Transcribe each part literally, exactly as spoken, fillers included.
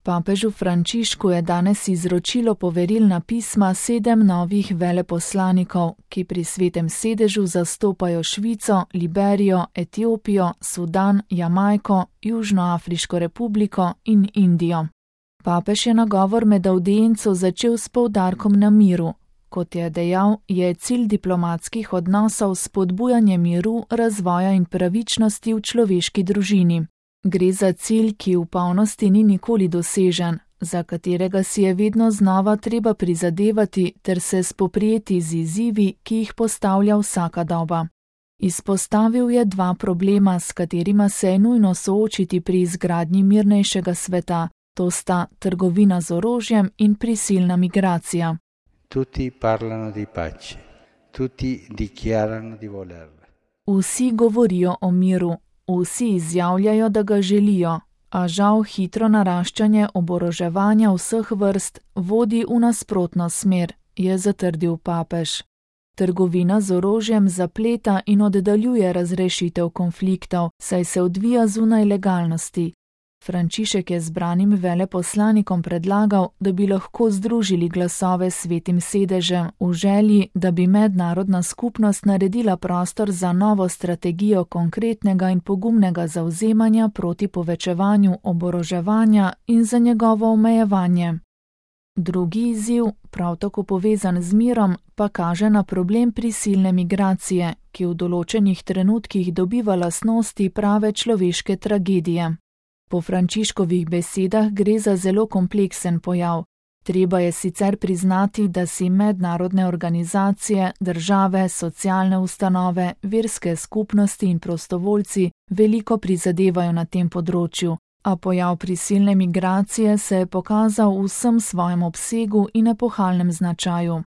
Papežu Frančišku je danes izročilo poverilna pisma sedem novih veleposlanikov, ki pri Svetem sedežu zastopajo Švico, Liberijo, Etiopijo, Sudan, Jamajko, Južnoafriško republiko in Indijo. Papež je nagovor med avdienco začel s poudarkom na miru. Kot je dejal, je cilj diplomatskih odnosov spodbujanje miru, razvoja in pravičnosti v človeški družini. Gre za cilj, ki v polnosti ni nikoli dosežen, za katerega si je vedno znova treba prizadevati ter se spoprijeti z izzivi, ki jih postavlja vsaka doba. Izpostavil je dva problema, s katerima se je nujno soočiti pri izgradnji mirnejšega sveta, to sta trgovina z orožjem in prisilna migracija. Tutti parlano di pace, tutti dichiarano di volerla. Vsi govorijo o miru. Vsi izjavljajo, da ga želijo, a žal hitro naraščanje oboroževanja vseh vrst vodi v nasprotno smer, je zatrdil papež. Trgovina z orožjem zapleta in oddaljuje razrešitev konfliktov, saj se odvija zunaj legalnosti. Frančišek je zbranim veleposlanikom predlagal, da bi lahko združili glasove s Svetim sedežem v želji, da bi mednarodna skupnost naredila prostor za novo strategijo konkretnega in pogumnega zavzemanja proti povečevanju oboroževanja in za njegovo omejevanje. Drugi izziv, prav tako povezan z mirom, pa kaže na problem prisilne migracije, ki v določenih trenutkih dobiva lastnosti prave človeške tragedije. Po Frančiškovih besedah gre za zelo kompleksen pojav. Treba je sicer priznati, da si mednarodne organizacije, države, socialne ustanove, verske skupnosti in prostovoljci veliko prizadevajo na tem področju, a pojav prisilne migracije se je pokazal v vsem svojem obsegu in epohalnem značaju.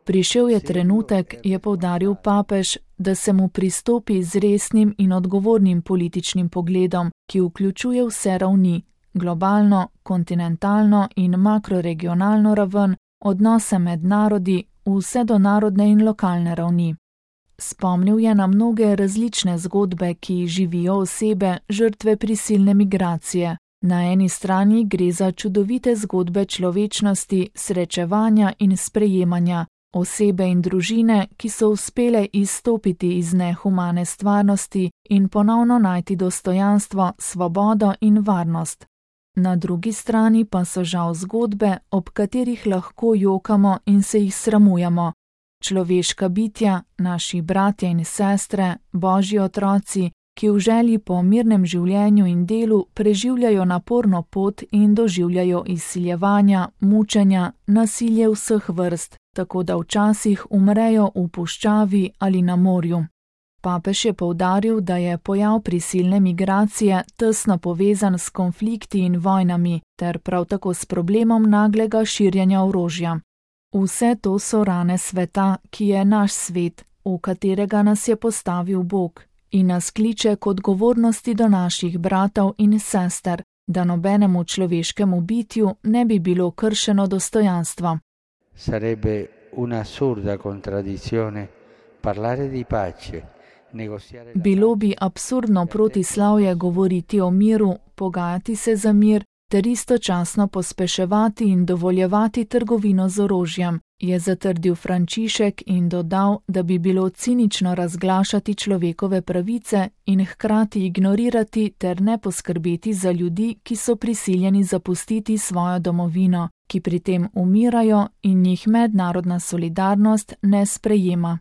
Prišel je trenutek, je poudaril papež, da se mu pristopi z resnim in odgovornim političnim pogledom, ki vključuje vse ravni, globalno, kontinentalno in makroregionalno raven, odnose med narodi, vse do narodne in lokalne ravni. Spomnil je na mnoge različne zgodbe, ki živijo osebe, žrtve prisilne migracije. Na eni strani gre za čudovite zgodbe človečnosti, srečevanja in sprejemanja, osebe in družine, ki so uspele izstopiti iz nehumane stvarnosti in ponovno najti dostojanstvo, svobodo in varnost. Na drugi strani pa so žal zgodbe, ob katerih lahko jokamo in se jih sramujemo. Človeška bitja, naši bratje in sestre, božji otroci, ki v želji po mirnem življenju in delu preživljajo naporno pot in doživljajo izsiljevanja, mučenja, nasilje vseh vrst, tako da včasih umrejo v puščavi ali na morju. Papež je poudaril, da je pojav prisilne migracije tesno povezan s konflikti in vojnami, ter prav tako s problemom naglega širjenja orožja. Vse to so rane sveta, ki je naš svet, v katerega nas je postavil Bog, in nas kliče k odgovornosti do naših bratov in sester, da nobenemu človeškemu bitju ne bi bilo kršeno dostojanstvo. Sarebbe un'assurda contraddizione parlare di pace, negoziare. Bilo bi absurdno protislavje govoriti o miru, pogajati se za mir, ter istočasno pospeševati in dovoljevati trgovino z orožjem, je zatrdil Frančišek in dodal, da bi bilo cinično razglašati človekove pravice in hkrati ignorirati ter ne poskrbeti za ljudi, ki so prisiljeni zapustiti svojo domovino, ki pri tem umirajo in jih mednarodna solidarnost ne sprejema.